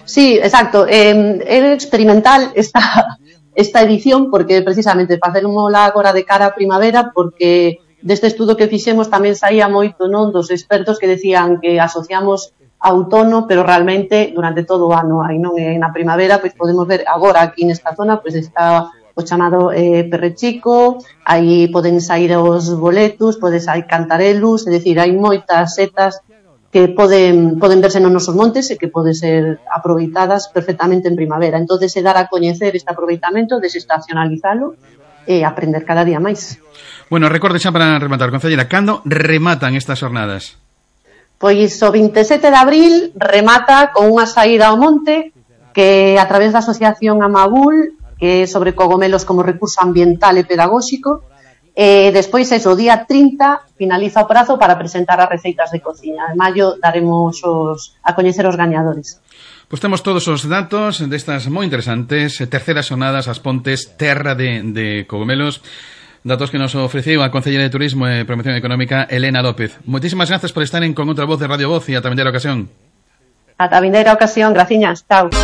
Sí, exacto. Eh, é experimental esta, esta edición porque precisamente facémola agora de cara a primavera porque deste estudo que fixemos tamén saía moito, non, dos expertos que decían que asociamos a outono, pero realmente durante todo o ano hai, non? E na primavera, pois podemos ver agora aquí nesta zona, pois está o chamado eh, perrechico, aí poden sair os boletus, podes hai cantarelus, é dicir, hai moitas setas que poden, poden verse nos nosos montes e que poden ser aproveitadas perfectamente en primavera. Entón, se dar a coñecer este aproveitamento, desestacionalizalo e aprender cada día máis. Bueno, recorde xa para rematar, concelleira, cando rematan estas jornadas? Pois o vinte e sete de abril remata con unha saída ao monte que a través da Asociación Amabul, que é sobre cogomelos como recurso ambiental e pedagóxico, e despois eso, o día trinta finaliza o prazo para presentar as receitas de cociña. En maio daremos os, a coñecer os gañadores. Pois temos todos os datos destas moi interesantes terceras xornadas As Pontes, terra de, de cogomelos. Datos que nos ofreciu a Concelleira de Turismo e Promoción Económica, Elena López. Moitísimas grazas por estar en Con Outra Voz de Radio Voz e ata a vindeira ocasión. Ata a vindeira ocasión, graciñas, chao.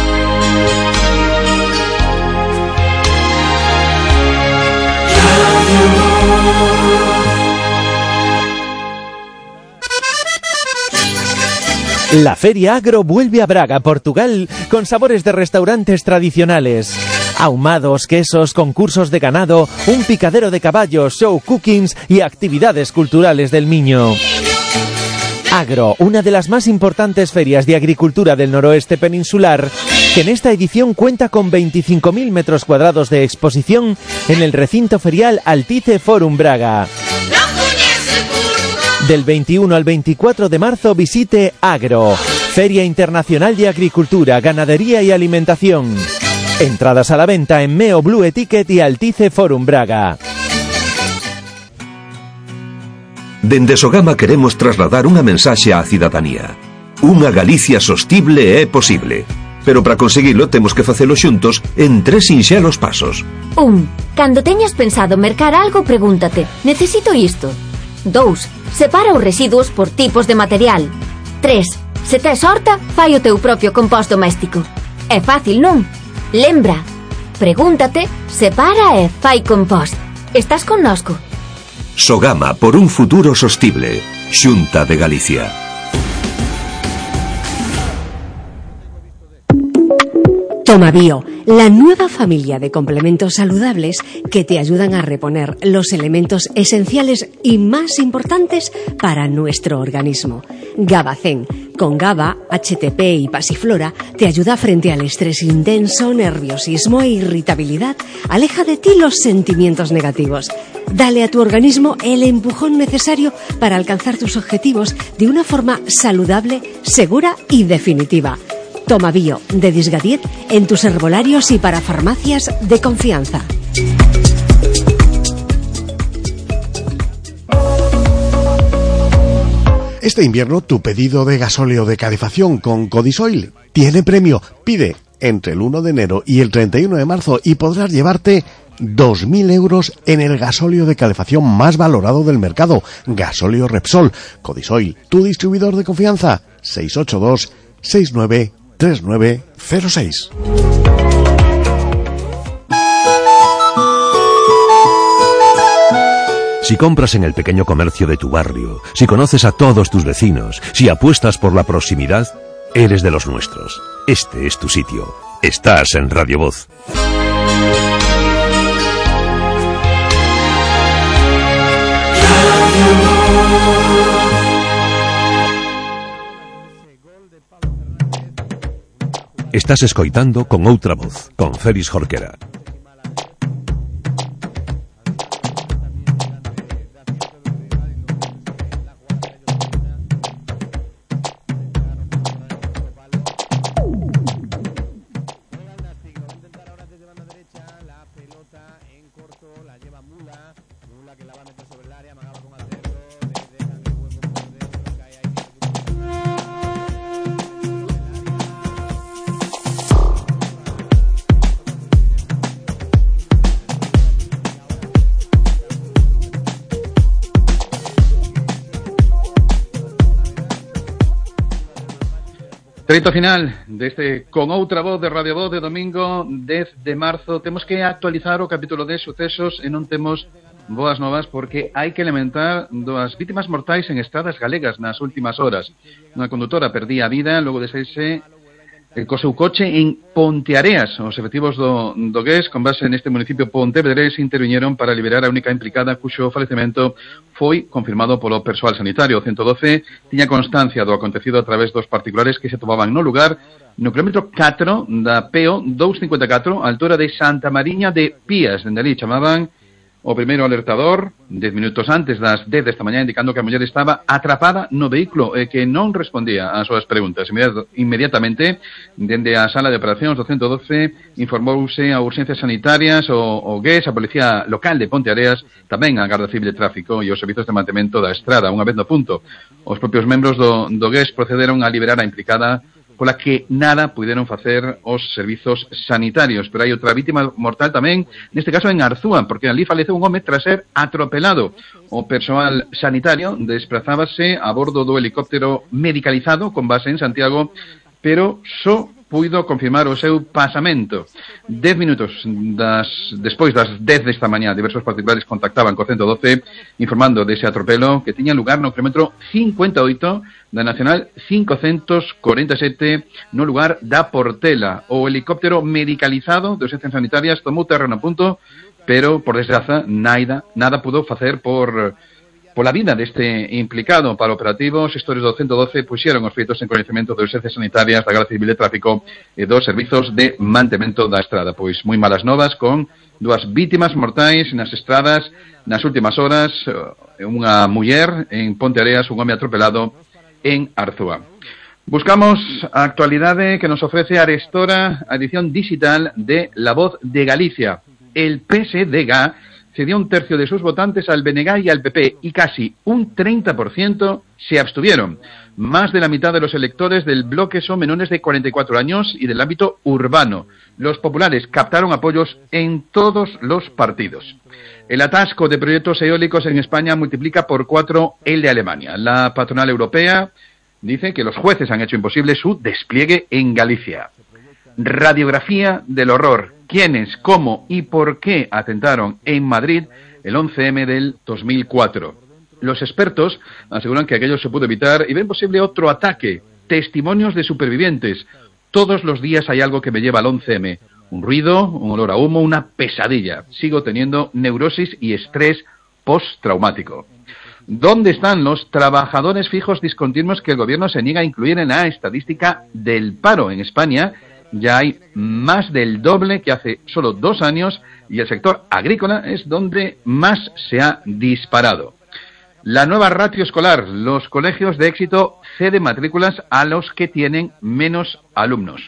La Feria Agro vuelve a Braga, Portugal, con sabores de restaurantes tradicionales. Ahumados, quesos, concursos de ganado, un picadero de caballos, show cookings y actividades culturales del Miño. Agro, una de las más importantes ferias de agricultura del noroeste peninsular, que en esta edición cuenta con veinticinco mil metros cuadrados de exposición en el recinto ferial Altice Forum Braga. Del veintiuno al veinticuatro de marzo visite Agro, Feria Internacional de Agricultura, Ganadería y Alimentación. Entradas a la venta en Meo Blue Etiquet y Altice Forum Braga. Dende Sogama queremos trasladar unha mensaxe á cidadanía. Unha Galicia sostible é posible. Pero para conseguilo temos que facelo xuntos en tres sinxelos pasos. Un. Cando teñas pensado mercar algo, pregúntate: necesito isto? Dous. Separa os residuos por tipos de material. Tres. Se tes horta, fai o teu propio compost doméstico. É fácil, non? Lembra, pregúntate, separa e fai compost. Estás connosco? Sogama, por un futuro sostible. Xunta de Galicia. Tomabio, la nueva familia de complementos saludables que te ayudan a reponer los elementos esenciales y más importantes para nuestro organismo. Gabacén, con GABA, H T P y pasiflora, te ayuda frente al estrés intenso, nerviosismo e irritabilidad. Aleja de ti los sentimientos negativos. Dale a tu organismo el empujón necesario para alcanzar tus objetivos de una forma saludable, segura y definitiva. Toma Bio, de Disgadiet, en tus herbolarios y para farmacias de confianza. Este invierno tu pedido de gasóleo de calefacción con Codisoil tiene premio. Pide entre el uno de enero y el treinta y uno de marzo y podrás llevarte dos mil euros en el gasóleo de calefacción más valorado del mercado. Gasóleo Repsol. Codisoil, tu distribuidor de confianza. seis ocho dos seis nueve tres nueve cero seis. Si compras en el pequeño comercio de tu barrio, si conoces a todos tus vecinos, si apuestas por la proximidad, eres de los nuestros. Este es tu sitio. Estás en Radio Voz. Estás escoitando Con Outra Voz, con Félix Jorquera. Treito final deste Con Outra Voz de Radio Voz de domingo dez de marzo. Temos que actualizar o capítulo de sucesos e non temos boas novas porque hai que lamentar dúas vítimas mortais en estradas galegas nas últimas horas. Unha condutora perdía a vida logo de saírse co seu coche en Ponteareas. Os efectivos do, do G E S, con base neste municipio pontevedrés, interviñeron para liberar a única implicada cuxo falecemento foi confirmado polo persoal sanitario. O ciento doce tiña constancia do acontecido a través dos particulares que se tomaban no lugar no kilómetro catro da P O doscientos cincuenta e catro, a altura de Santa Mariña de Pías. Dende ali chamaban o primeiro alertador dez minutos antes das dez desta mañá, indicando que a muller estaba atrapada no vehículo e que non respondía ás súas preguntas. Inmediatamente, dende a sala de operacións do ciento doce, informouse a urxencias sanitarias, o, o G E S, a Policía Local de Ponteareas, tamén a Garda Civil de Tráfico e os servizos de mantemento da estrada. Unha vez no punto, os propios membros do, do G E S procederon a liberar a implicada, pola que nada puderon facer os servizos sanitarios. Pero hai outra vítima mortal tamén, neste caso en Arzúa, porque ali faleceu un home tras ser atropelado. O persoal sanitario desplazábase a bordo do helicóptero medicalizado con base en Santiago, pero só puido confirmar o seu pasamento. Dez minutos das, despois das dez desta mañá, diversos particulares contactaban co ciento doce informando dese atropelo que tiña lugar no kilómetro cincuenta e oito da Nacional quinhentos cuarenta e sete no lugar da Portela. O helicóptero medicalizado de urxencias sanitarias tomou terreno a punto, pero, por desgraza, nada, nada pudo facer por... pola vida deste implicado. Para o operativo, os xestores do ciento doce puxeron os feitos en coñecemento de urxencias sanitarias, da Garda Civil de Tráfico e dos servizos de mantemento da estrada. Pois moi malas novas con dúas vítimas mortais nas estradas nas últimas horas, unha muller en Ponteareas, un home atropelado en Arzúa. Buscamos a actualidade que nos ofrece Arestora, a edición digital de La Voz de Galicia. El P S D G cedió un tercio de sus votantes al B N G y al P P y casi un treinta por ciento se abstuvieron. Más de la mitad de los electores del bloque son menores de cuarenta y cuatro años y del ámbito urbano. Los populares captaron apoyos en todos los partidos. El atasco de proyectos eólicos en España multiplica por cuatro el de Alemania. La patronal europea dice que los jueces han hecho imposible su despliegue en Galicia. Radiografía del horror. ¿Quiénes, cómo y por qué atentaron en Madrid el once eme del dos mil cuatro? Los expertos aseguran que aquello se pudo evitar y ven posible otro ataque. Testimonios de supervivientes. Todos los días hay algo que me lleva al once eme. Un ruido, un olor a humo, una pesadilla. Sigo teniendo neurosis y estrés postraumático. ¿Dónde están los trabajadores fijos discontinuos que el gobierno se niega a incluir en la estadística del paro? En España ya hay más del doble que hace solo dos años y el sector agrícola es donde más se ha disparado. La nueva ratio escolar. Los colegios de éxito ceden matrículas a los que tienen menos alumnos.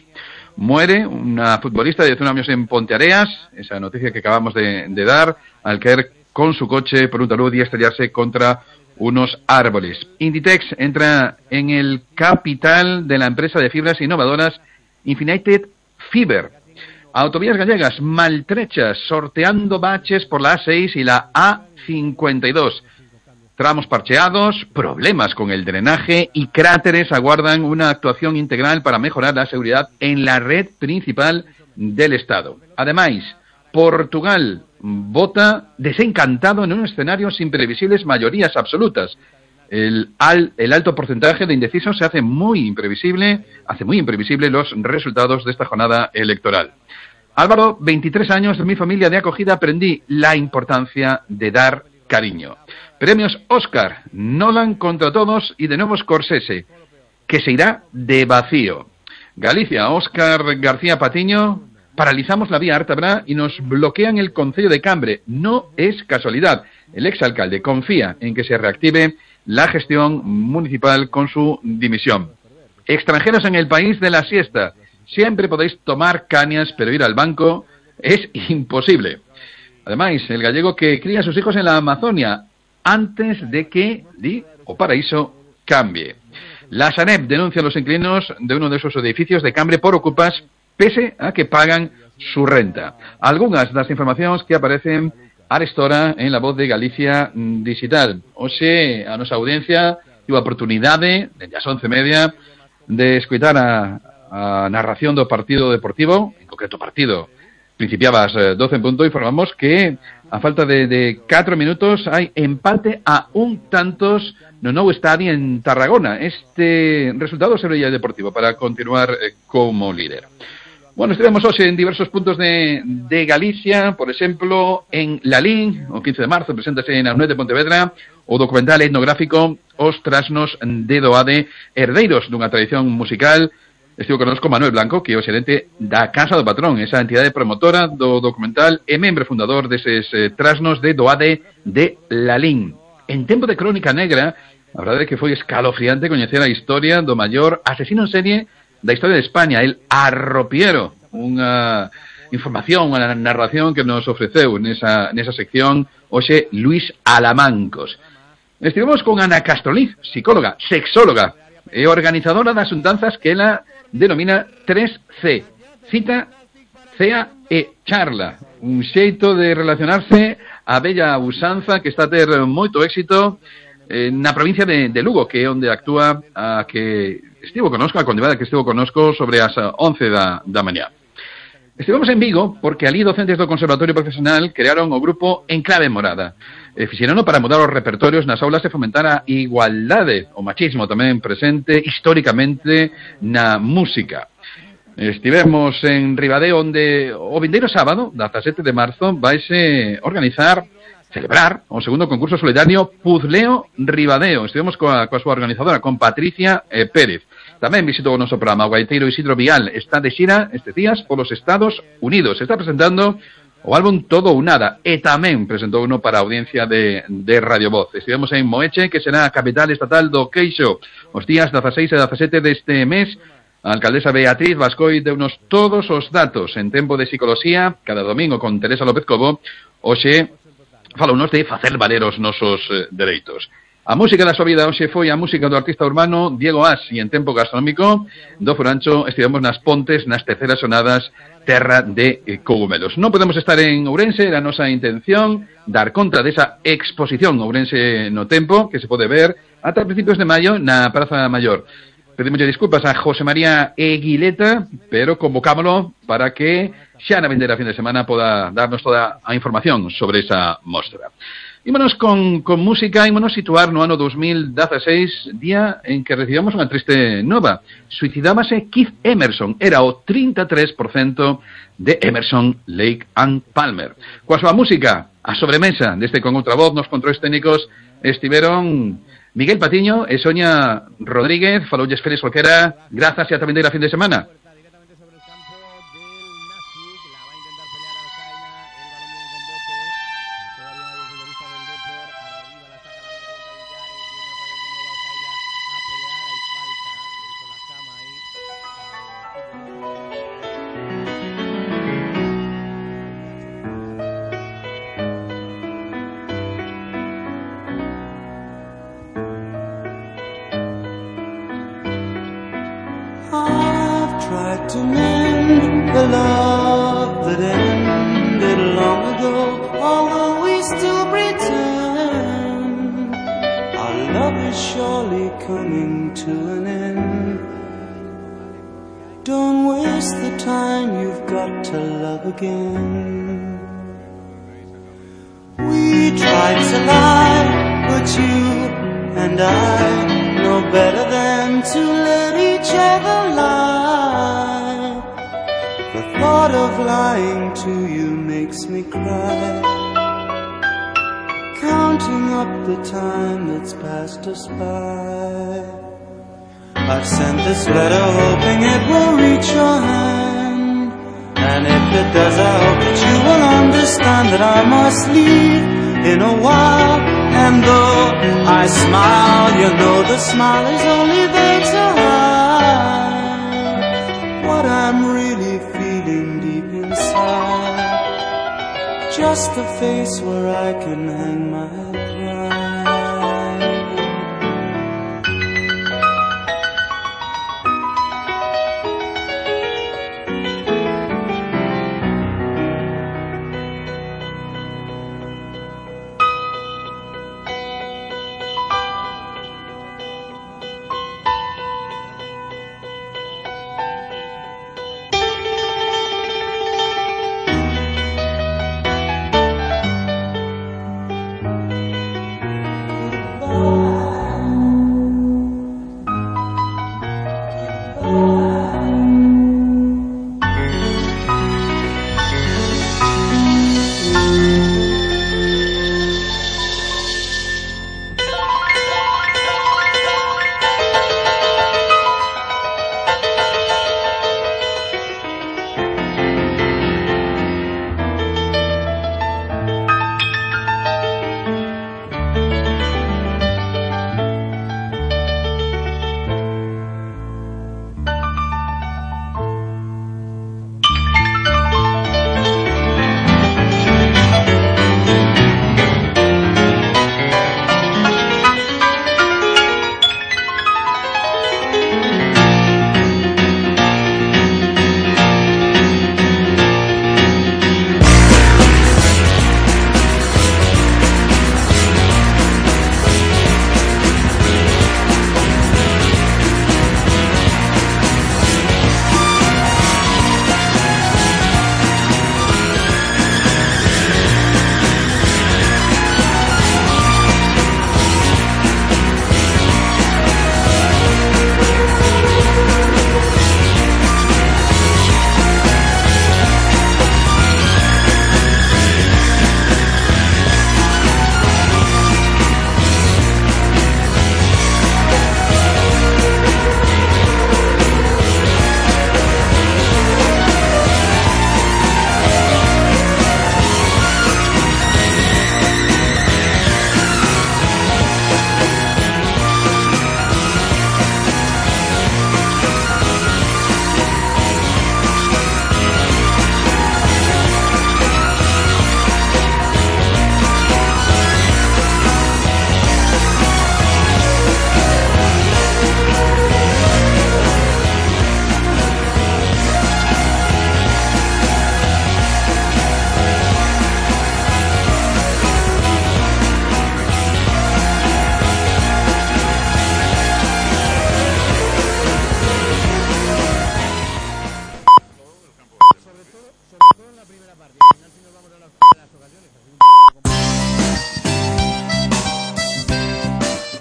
Muere una futbolista de diecinueve años en Ponteareas, esa noticia que acabamos de, de dar, al caer con su coche por un talud y estrellarse contra unos árboles. Inditex entra en el capital de la empresa de fibras innovadoras Infinited Fiber. Autovías gallegas maltrechas, sorteando baches por la A seis y la A cincuenta y dos. Tramos parcheados, problemas con el drenaje y cráteres aguardan una actuación integral para mejorar la seguridad en la red principal del Estado. Además, Portugal vota desencantado en un escenario sin previsibles mayorías absolutas. El, al, el alto porcentaje de indecisos se hace muy imprevisible, hace muy imprevisible los resultados de esta jornada electoral. Álvaro, veintitrés años, de mi familia de acogida aprendí la importancia de dar cariño. Premios Oscar, Nolan contra todos y de nuevo Scorsese, que se irá de vacío. Galicia, Óscar García Patiño, paralizamos la vía Ártabra y nos bloquean el concello de Cambre. No es casualidad. El exalcalde confía en que se reactive la gestión municipal con su dimisión. Extranjeros en el país de la siesta. Siempre podéis tomar cañas, pero ir al banco es imposible. Además, el gallego que cría a sus hijos en la Amazonia antes de que di o paraíso cambie. La Sareb denuncia a los inquilinos de uno de esos edificios de Cambre por ocupas, pese a que pagan su renta. Algunas das informacións que aparecen arestora en La Voz de Galicia Digital. Oxe, a nosa audiencia tivo a oportunidade, desde as once e media, de escutar a, a narración do partido deportivo, en concreto partido, principiaba ás doce en punto, informamos que a falta de, de catro minutos hai empate a un tantos no novo estadio en Tarragona. Este resultado sería el Deportivo para continuar eh, como líder. Bueno, estivemos hoxe en diversos puntos de, de Galicia, por exemplo, en Lalín, o quince de marzo, preséntase na U N E D de Pontevedra o documental etnográfico Os Trasnos de Doade, herdeiros dunha tradición musical. Estivo connosco Manuel Blanco, que é o xerente da Casa do Patrón, esa entidade promotora do documental e membro fundador deses eh, Trasnos de Doade de Lalín. En tempo de crónica negra, a verdade é que foi escalofriante coñecer a historia do maior asesino en serie da historia de España, el Arropiero, unha información, unha narración que nos ofreceu nesa, nesa sección hoxe Luis Alamancos. Estivemos con Ana Castroliz, psicóloga, sexóloga e organizadora das xuntanzas que ela denomina tres C, cita, cea e charla, un xeito de relacionarse a bella usanza que está a ter moito éxito eh, na provincia de, de Lugo, que é onde actúa a que estivo conosco, a convidada que estivo conosco sobre as once da, da mañá. Estivemos en Vigo porque ali docentes do Conservatorio Profesional crearon o grupo Enclave Morada. E fixerono para mudar os repertorios nas aulas e fomentar a igualdade, o machismo tamén presente históricamente na música. Estivemos en Ribadeo, onde o vindeiro sábado, dezasete de marzo, vaise organizar, celebrar, o segundo concurso solidario Puzleo Ribadeo. Estivemos coa, coa súa organizadora, con Patricia eh, Pérez. Tamén visitou o noso programa o gaiteiro Isidro Vial. Está de xira estes días polos Estados Unidos. Está presentando o álbum Todo ou Nada, e tamén presentou uno para a audiencia de, de Radio Voz. Estivemos en Moeche, que será a capital estatal do queixo, os días dezaseis e dezasete deste mes. A alcaldesa Beatriz Bascoi deunos todos os datos en tempo de psicología, cada domingo con Teresa López Cobo. Hoxe falounos de facer valer os nosos eh, dereitos. A música da súa vida hoxe foi a música do artista urbano Diego As, e en tempo gastronómico do Furancho estivemos nas Pontes, nas terceras sonadas Terra de Cogumelos. Non podemos estar en Ourense, era a nosa intención dar conta desa exposición Ourense no tempo, que se pode ver ata principios de maio na Praza Maior. Pedimos disculpas a José María Eguileta, pero convocámoslo para que xa na vindeira fin de semana poda darnos toda a información sobre esa mostra. Ímonos con, con música, ímonos situar no ano dos mil dezaseis, día en que recibamos unha triste nova. Suicidábase Keith Emerson, era o trinta e tres por cento de Emerson, Lake and Palmer. Coa súa música, a sobremesa deste Con Outra Voz, nos controis técnicos estiveron Miguel Patiño e Sonia Rodríguez. Faloulles Félix Olquera, grazas e ata vindeira fin de semana. Tried to mend the love that ended long ago, although we still pretend our love is surely coming to an end. Don't waste the time, you've got to love again. We tried to lie, but you and I know better than to let each other lie. The thought of lying to you makes me cry, counting up the time that's passed us by. I've sent this letter hoping it will reach your hand, and if it does I hope that you will understand that I must leave in a while. And though I smile, you know the smile is only there to hide what I'm really feeling deep inside. Just a face where I can hang my head.